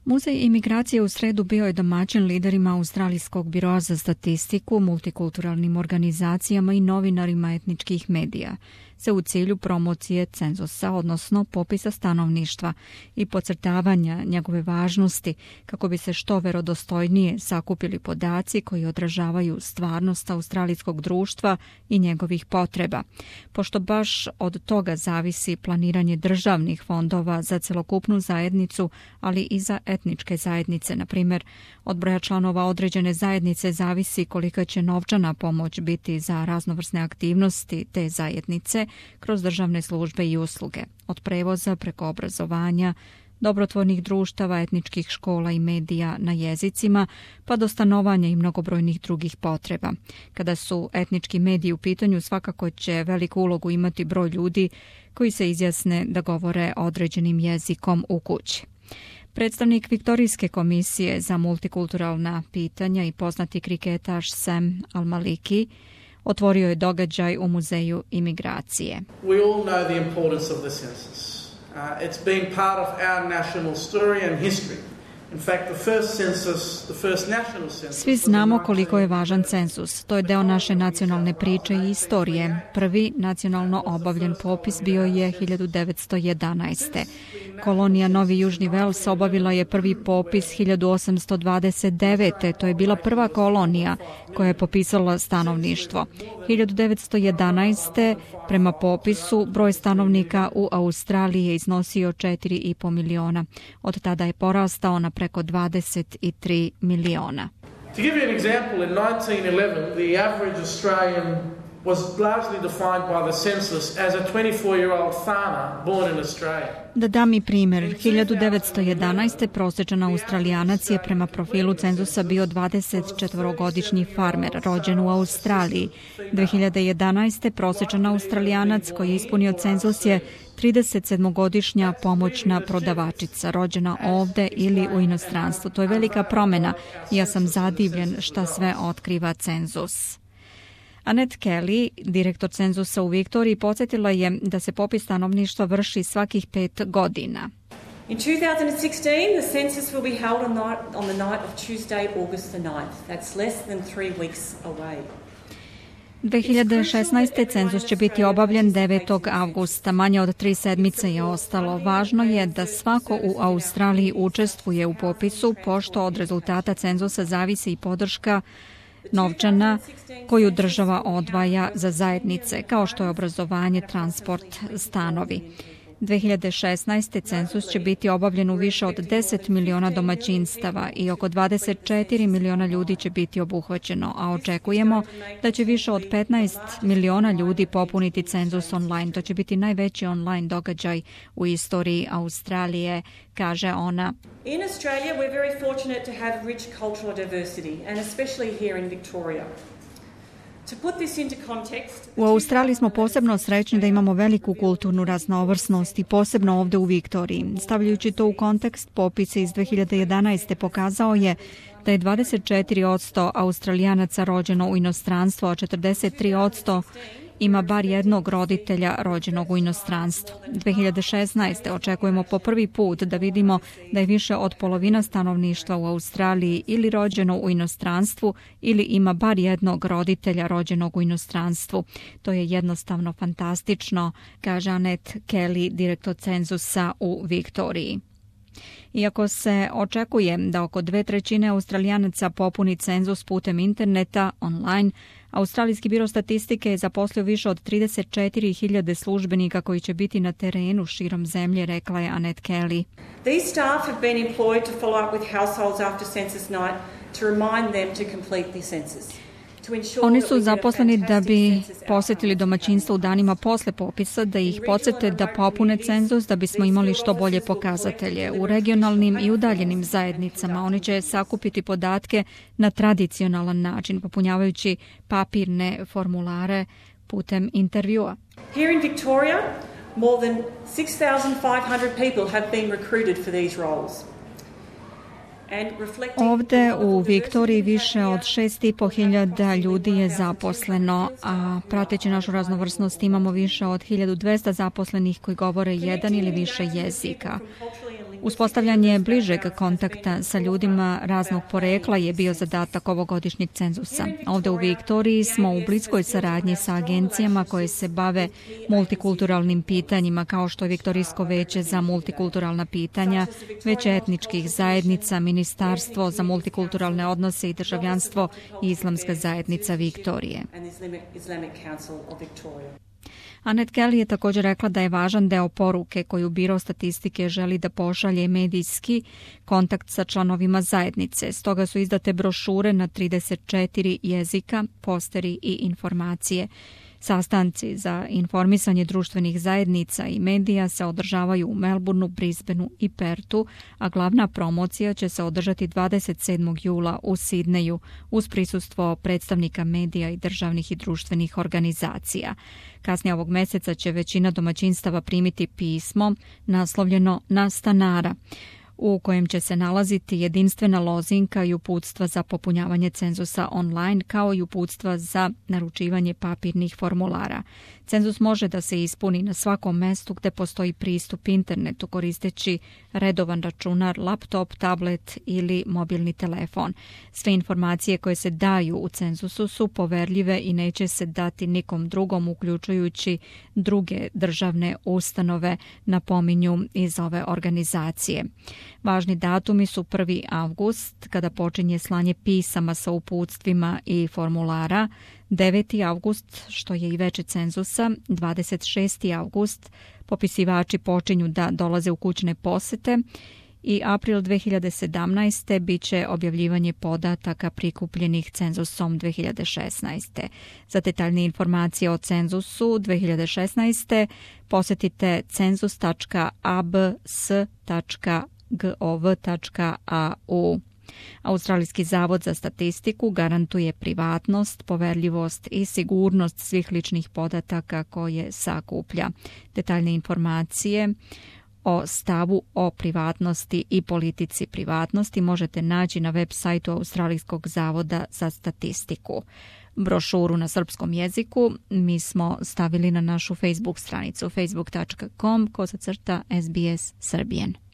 Muzej imigracije u sredu bio je domaćin liderima Australijskog biroa za statistiku, multikulturalnim organizacijama i novinarima etničkih medija, sve u cilju promocije cenzusa, odnosno popisa stanovništva i podcrtavanja njegove važnosti kako bi se što verodostojnije sakupili podaci koji odražavaju stvarnost australijskog društva i njegovih potreba, pošto baš od toga zavisi planiranje državnih fondova za celokupnu zajednicu, ali i za etničke zajednice. Na primjer, od broja članova određene zajednice zavisi kolika će novčana pomoć biti za raznovrsne aktivnosti te zajednice kroz državne službe i usluge, od prevoza preko obrazovanja, dobrotvornih društava, etničkih škola i medija na jezicima, pa do stanovanja i mnogobrojnih drugih potreba. Kada su etnički mediji u pitanju, svakako će veliku ulogu imati broj ljudi koji se izjasne da govore određenim jezikom u kući. Predstavnik Viktorijske komisije za multikulturalna pitanja i poznati kriketaš Sam Al-Maliki otvorio je događaj u Muzeju imigracije. We all know the importance of the census. It's been part of our national story and history. In fact, the first national census. Svi znamo koliko je važan cenzus. To je deo naše nacionalne priče i istorije. Prvi nacionalno obavljen popis bio je 1911. Kolonija Novi Južni Vels obavila je prvi popis 1829. To je bila prva kolonija koja je popisala stanovništvo. 1911. prema popisu broj stanovnika u Australiji je iznosio 4,5 miliona. Od tada je porastao na preko 23 miliona. To give you an example, in 1911 the average Australian was largely defined by the census as a 24-year-old farmer born in Australia. Da dam i primjer, 1911. prosječan Australijanac je prema profilu cenzusa bio 24-godišnji farmer, rođen u Australiji. 2011. prosječan Australijanac koji je ispunio cenzus je 37-godišnja pomoćna prodavačica, rođena ovde ili u inostranstvu. To je velika promjena i ja sam zadivljen šta sve otkriva cenzus. Annette Kelly, direktor cenzusa u Viktoriji, podsjetila je da se popis stanovništva vrši svakih 5 godina. In 2016, the census will be held on the night of Tuesday, August the 9th. That's less than 3 weeks away. 2016. cenzus će biti obavljen 9. avgusta, manje od 3 sedmice je ostalo. Važno je da svako u Australiji učestvuje u popisu, pošto od rezultata cenzusa zavisi i podrška novčana koju država odvaja za zajednice, kao što je obrazovanje, transport, stanovi. 2016. cenzus će biti obavljen u više od 10 miliona domaćinstava i oko 24 miliona ljudi će biti obuhvaćeno, a očekujemo da će više od 15 miliona ljudi popuniti cenzus online. To će biti najveći online događaj u istoriji Australije, kaže ona. In Australia, we're very fortunate to have rich cultural diversity, and especially here in Victoria. U Australiji smo posebno srećni da imamo veliku kulturnu raznovrsnost i posebno ovde u Viktoriji. Stavljajući to u kontekst, popis iz 2011. pokazao je da je 24% Australijanaca rođeno u inostranstvu, a 43% ima bar jednog roditelja rođenog u inostranstvu. 2016. očekujemo po prvi put da vidimo da je više od polovina stanovništva u Australiji ili rođeno u inostranstvu ili ima bar jednog roditelja rođenog u inostranstvu. To je jednostavno fantastično, kaže Annette Kelly, direktor cenzusa u Viktoriji. Iako se očekuje da oko 2/3 Australijanaca popuni cenzus putem interneta, online, Australijski biro statistike je zaposlio više od 34.000 službenika koji će biti na terenu širom zemlje, rekla je Annette Kelly. These staff have been employed to follow up with households after census night to remind them to complete the census. Oni su zaposleni da bi posjetili domaćinstvo u danima posle popisa, da ih podsjete da popune cenzus, da bismo imali što bolje pokazatelje. U regionalnim i udaljenim zajednicama oni će sakupiti podatke na tradicionalan način, popunjavajući papirne formulare putem intervjua. Here in Victoria, more than 6,500 people have been recruited for these roles. Ovde u Viktoriji više od 6.500 ljudi je zaposleno, a prateći našu raznovrsnost imamo više od 1200 zaposlenih koji govore jedan ili više jezika. Uspostavljanje bližeg kontakta sa ljudima raznog porekla je bio zadatak ovogodišnjeg cenzusa. Ovdje u Viktoriji smo u bliskoj saradnji sa agencijama koje se bave multikulturalnim pitanjima, kao što je Viktorijsko veće za multikulturalna pitanja, Veće etničkih zajednica, Ministarstvo za multikulturalne odnose i državljanstvo i Islamska zajednica Viktorije. Annette Kelly je također rekla da je važan deo poruke koju Biro statistike želi da pošalje medijski kontakt sa članovima zajednice. Stoga su izdate brošure na 34 jezika, posteri i informacije. Sastanci za informisanje društvenih zajednica i medija se održavaju u Melbourneu, Brisbaneu i Pertu, a glavna promocija će se održati 27. jula u Sidneju uz prisustvo predstavnika medija i državnih i društvenih organizacija. Kasnije ovog mjeseca će većina domaćinstava primiti pismo naslovljeno Na stanara, u kojem će se nalaziti jedinstvena lozinka i uputstva za popunjavanje cenzusa online, kao i uputstva za naručivanje papirnih formulara. Cenzus može da se ispuni na svakom mestu gde postoji pristup internetu koristeći redovan računar, laptop, tablet ili mobilni telefon. Sve informacije koje se daju u cenzusu su poverljive i neće se dati nikom drugom, uključujući druge državne ustanove, napominju iz ove organizacije. Važni datumi su 1. avgust, kada počinje slanje pisama sa uputstvima i formulara, 9. avgust, što je i veče cenzusa, 26. avgust, popisivači počinju da dolaze u kućne posete i april 2017. bit će objavljivanje podataka prikupljenih cenzusom 2016. Za detaljne informacije o cenzusu 2016. posjetite cenzus.abs.gov.au. Australijski zavod za statistiku garantuje privatnost, poverljivost i sigurnost svih ličnih podataka koje sakuplja. Detaljne informacije o stavu o privatnosti i politici privatnosti možete naći na web sajtu Australijskog zavoda za statistiku. Brošuru na srpskom jeziku mi smo stavili na našu Facebook stranicu facebook.com/SBS Serbian.